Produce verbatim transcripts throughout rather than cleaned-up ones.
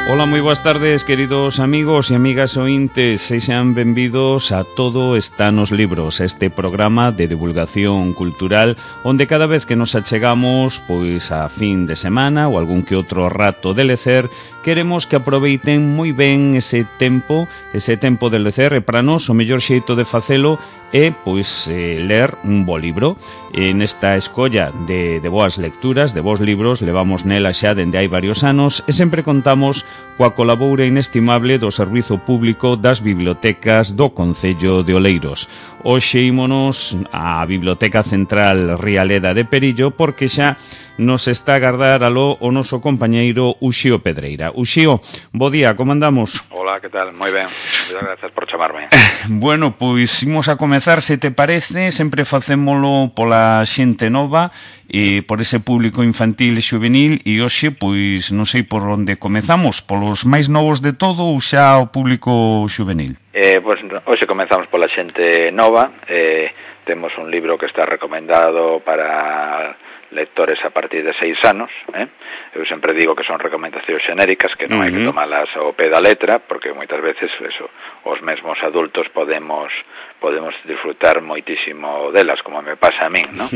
Ola, moi boas tardes, queridos amigos e amigas ointes. Sexan benvidos a Todo está nos libros, este programa de divulgación cultural onde cada vez que nos achegamos pois a fin de semana ou algún que outro rato de lecer, queremos que aproveiten moi ben ese tempo, ese tempo de lecer, e para nós o mellor xeito de facelo é pois eh, ler un bo libro. E nesta escolla de, de boas lecturas, de bons libros, levamos nela xa dende hai varios anos e sempre contamos coa colaboura inestimable do Servizo Público das Bibliotecas do Concello de Oleiros. Hoxe ímonos á Biblioteca Central Rialeda de Perillo porque xa nos está a agardar aló o noso compañeiro Uxío Pedreira. Uxío, bo día, como andamos? Hola, que tal? Moi ben, moitas grazas por chamarme. Bueno, pois imos a comezar, se te parece, sempre facémolo pola xente nova e por ese público infantil e juvenil, e hoxe, pois, non sei por onde comezamos, polos máis novos de todo ou xa o público juvenil? Eh, pois hoxe comezamos pola xente nova, eh, temos un libro que está recomendado para lectores a partir de seis anos, eh? Eu sempre digo que son recomendacións xenéricas, que non uh-huh. hai que tomalas ao pé da letra, porque moitas veces eso, os mesmos adultos podemos podemos disfrutar moitísimo delas, como me pasa a min, non?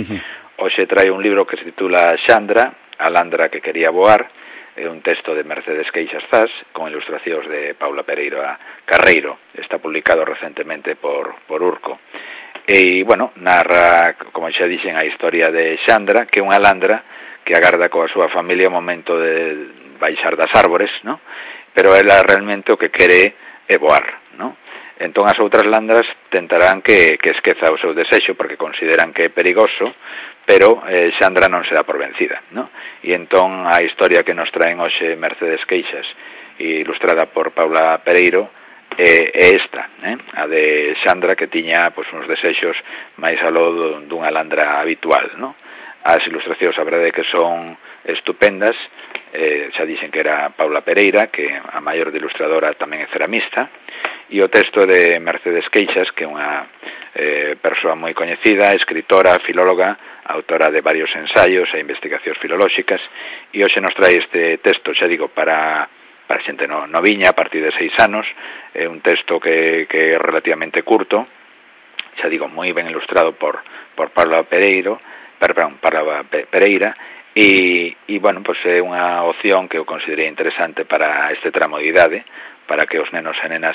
Hoxe trae un libro que se titula Xandra, a landra que quería voar, é un texto de Mercedes Queixas Zas, con ilustracións de Paula Pereira Carreiro, está publicado recentemente por, por Urco. E, bueno, narra, como xa dixen, a historia de Xandra, que é unha landra que agarda coa súa familia o momento de baixar das árbores, ¿no? Pero ela realmente o que quere é voar, ¿no? Entón as outras landras tentarán que, que esqueza o seu desexo porque consideran que é perigoso, pero eh, Xandra non se dá por vencida, ¿no? E entón a historia que nos traen hoxe Mercedes Queixas, ilustrada por Paula Pereiro, é, é esta, eh? A de Xandra, que tiña pois, uns desexos máis aló dunha landra habitual, ¿no? As ilustracións, a verdade, que son estupendas, eh, xa dixen que era Paula Pereira, que a maior de ilustradora tamén é ceramista, e o texto de Mercedes Queixas, que é unha eh, persoa moi coñecida, escritora, filóloga, autora de varios ensaios e investigacións filolóxicas, e hoxe nos trae este texto, xa digo, para, para xente no, noviña, a partir de seis anos, é un texto que, que é relativamente curto, xa digo, moi ben ilustrado por, por Paula Pereiro, perdón, Paula Pereira, e, e bueno, pois é unha opción que eu considerei interesante para este tramo de idade, para que os nenos e nenas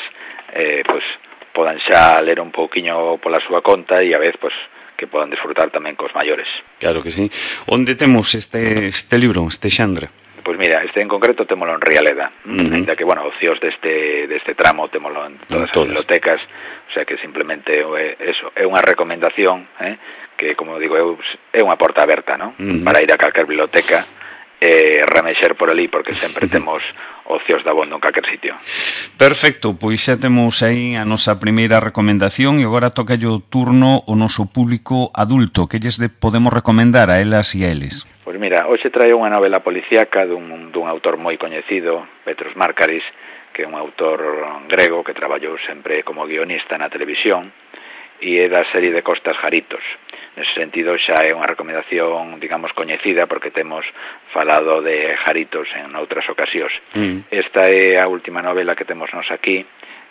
eh, pois, podan xa ler un pouquiño pola súa conta e a vez pois, que podan disfrutar tamén cos maiores. Claro que sí. Onde temos este, este libro, este Xandra? Pois mira, este en concreto témolo en Rialeda, uh-huh. Ainda que, bueno, ocios deste, deste tramo témolo en todas, todas as bibliotecas, o sea que simplemente é, eso, é unha recomendación, eh, que, como digo eu, é unha porta aberta, ¿no? Uh-huh. Para ir a calquer biblioteca e eh, remexer por ali, porque sempre temos ocios da bondo en calquer sitio. Perfecto, pois xa temos aí a nosa primeira recomendación e agora toca o turno o noso público adulto. Que lles de, podemos recomendar a elas e a eles? Pois mira, hoxe trae unha novela policíaca dun, dun autor moi coñecido, Petros Markaris, que é un autor grego que traballou sempre como guionista na televisión e é da serie de Costas Jaritos. Nese sentido xa é unha recomendación, digamos, coñecida porque temos falado de Jaritos en outras ocasións. Mm. Esta é a última novela que temos nos aquí,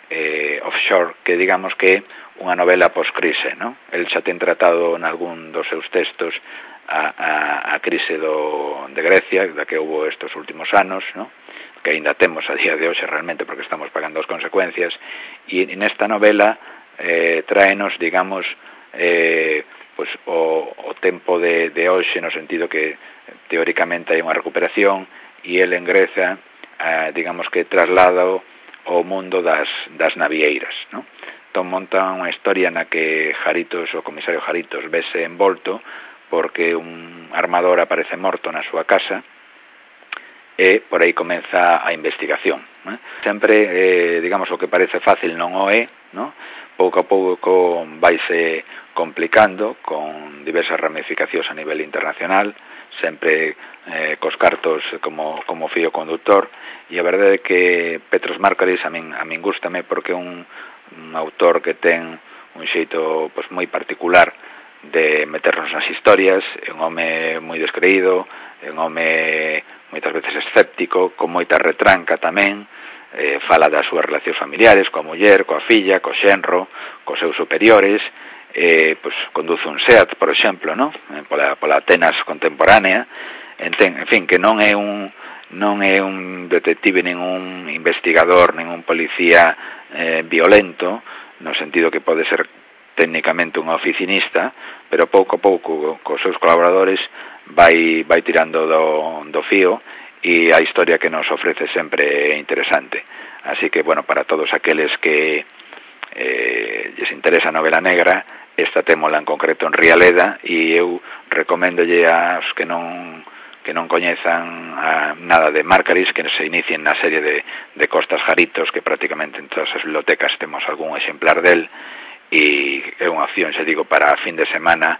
eh, Offshore, que digamos que é unha novela post-crise, ¿no? El xa ten tratado en algún dos seus textos a, a, a crise do, de Grecia, da que houve estes últimos anos, ¿no? Que ainda temos a día de hoxe realmente porque estamos pagando as consecuencias, e nesta novela eh, traenos, digamos, eh, pues, o, o tempo de, de hoxe, no sentido que teóricamente hai unha recuperación e el en Grecia, eh, digamos que traslada ao mundo das, das navieiras, ¿no? Entón monta unha historia na que Jaritos, o comisario Jaritos, vese envolto porque un armador aparece morto na súa casa e por aí comeza a investigación, ¿no? Sempre, eh, digamos, o que parece fácil non o é, ¿no? Pouco a pouco vaise complicando con diversas ramificacións a nivel internacional, sempre eh, cos cartos como, como fío conductor, e a verdade é que Petros Markaris a min, a min gústame porque é un, un autor que ten un xeito pues, moi particular de meternos nas historias. É un home moi descreído, é un home moitas veces escéptico, con moita retranca tamén, eh, fala das súas relacións familiares, coa muller, coa filla, co xenro, cos seus superiores, eh, pues, conduce un SEAT, por exemplo, ¿no? pola, pola Atenas contemporánea, en, en fin, que non é un non é un detective, nin un investigador, nin un policía eh, violento, no sentido que pode ser técnicamente un oficinista, pero pouco a pouco cos seus colaboradores vai vai tirando do, do fío, e a historia que nos ofrece sempre é interesante. Así que, bueno, para todos aqueles que eh, lles interesa a novela negra, esta témola en concreto en Rialeda, e eu recoméndolle aos que non que non coñezan a, nada de Márcaris, que se inicien na serie de, de Costas Jaritos, que prácticamente en todas as bibliotecas temos algún exemplar del, e é unha opción, xa digo, para fin de semana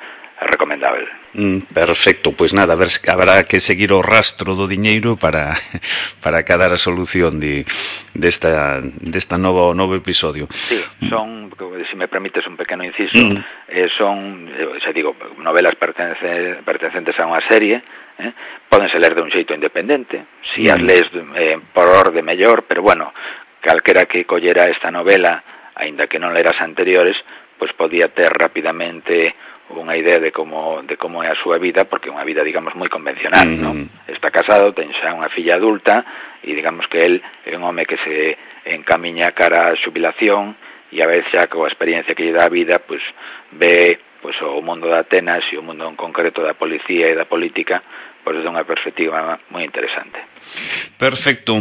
recomendable. Mm, perfecto, pois pues nada, a ver, habrá que seguir o rastro do diñeiro para para cadar a solución de desta desta novo novo episodio. Sí, son, se me permites un pequeno inciso, mm. eh, son, xa digo, novelas pertence, pertencentes a unha serie, eh, pódense ler de un xeito independente, si mm. as lees eh, por orde mellor, pero bueno, calquera que collera esta novela, aínda que non leras anteriores, pois podía ter rapidamente unha idea de como de como é a súa vida, porque é unha vida, digamos, moi convencional, mm. non? Está casado, ten xa unha filla adulta, e digamos que el é un home que se encamiña cara a xubilación, e a vez xa coa experiencia que lle dá a vida, pois ve pois o mundo de Atenas e o mundo en concreto da policía e da política, pois desde unha perspectiva moi interesante. Perfecto.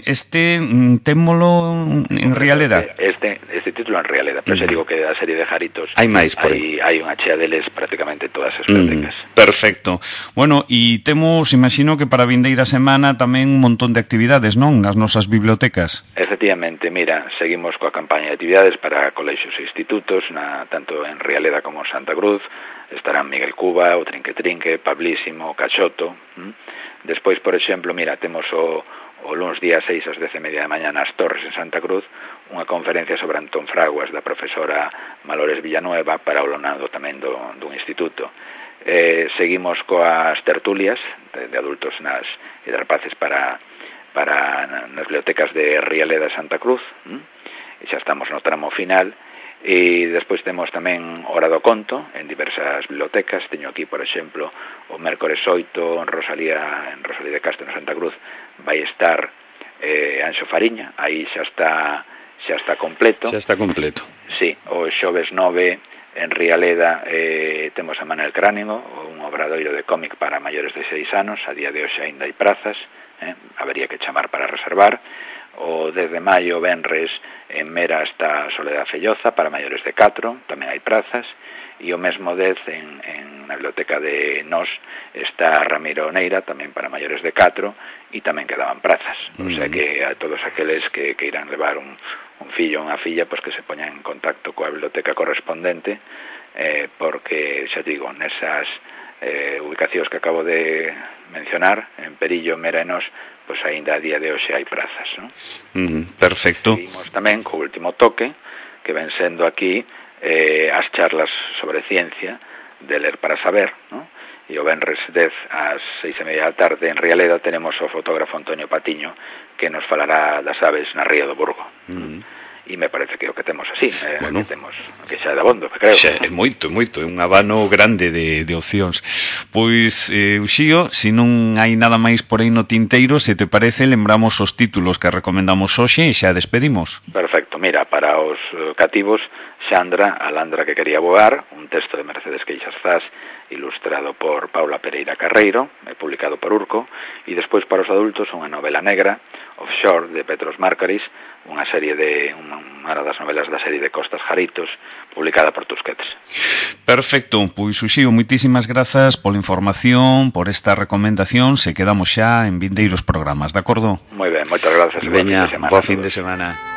Este témolo en Rialeda? Este, este título en Rialeda, pero mm. se digo que da serie de Jaritos hai máis por aí. Hai unha chea deles prácticamente todas as bibliotecas. Mm. Perfecto. Bueno, e temos, imagino que para a vindeira semana tamén un montón de actividades, non? Nas nosas bibliotecas. Efectivamente, mira, seguimos coa campaña de actividades para colexios e institutos, na, tanto en Rialeda como en Santa Cruz. Estarán Miguel Cuba, o Trinque Trinque, Pablísimo, Cachoto. ¿Mm? Despois, por exemplo, mira, temos o, o luns día seis ás dez e media da mañá nas Torres en Santa Cruz unha conferencia sobre Antón Fraguas da profesora Malores Villanueva para o alumnado tamén do, do instituto. Eh, seguimos coas tertulias de, de adultos nas e de rapaces para, para nas bibliotecas de Rialeda e Santa Cruz. ¿Mm? E xa estamos no tramo final. E despois temos tamén Hora do Conto en diversas bibliotecas. Teño aquí, por exemplo, o mércores oito en Rosalía, en Rosalía de Castro, en Santa Cruz, vai estar eh, Anxo Fariña, aí xa está xa está completo. Xa está completo. Sí, o xoves nove en Rialeda eh, temos a Manel Cráneo, un obradoiro de cómic para maiores de seis anos. A día de hoxe aínda hai prazas, eh, habería que chamar para reservar. O dez de maio, venres, en Mera está Soledad Felloza para maiores de catro, tamén hai prazas, e o mesmo dez en, en na biblioteca de Nos está Ramiro Neira, tamén para maiores de catro, e tamén quedaban prazas. Mm. O sea que a todos aqueles que, que irán levar un, un fillo ou unha filla, pues que se poñan en contacto coa biblioteca correspondente, eh, porque, xa digo, nesas eh, ubicacións que acabo de mencionar, en Perillo, Mera e Nos, pois aínda a día de hoxe hai prazas, non? Mm, perfecto. Seguimos tamén co último toque, que ven sendo aquí eh, as charlas sobre ciencia de Ler para Saber, non? E o venres dez ás seis e media da tarde en Rialeda tenemos o fotógrafo Antonio Patiño, que nos falará das aves na Ría do Burgo. Mm. E me parece que o que temos así, eh, bueno, que temos que xa é de abondo, creo. Xa é moito, moito, é un abano grande de, de opcións. Pois, eh, Uxío, se non hai nada máis por aí no tinteiro, se te parece, lembramos os títulos que recomendamos hoxe e xa despedimos. Perfecto, mira, para os cativos, Xandra, a landra que quería voar, un texto de Mercedes Queixas Zas, ilustrado por Paula Pereira Carreiro, publicado por Urco, e despois para os adultos unha novela negra, Offshore, de Petros Márcaris, unha serie de unha das novelas da serie de Costas Jaritos, publicada por Tusquets. Perfecto, pois Uxío, moitísimas grazas pola información, por esta recomendación, se quedamos xa en vindeiros programas, de acordo? Moi ben, moitas grazas. Veña, bo fin de semana.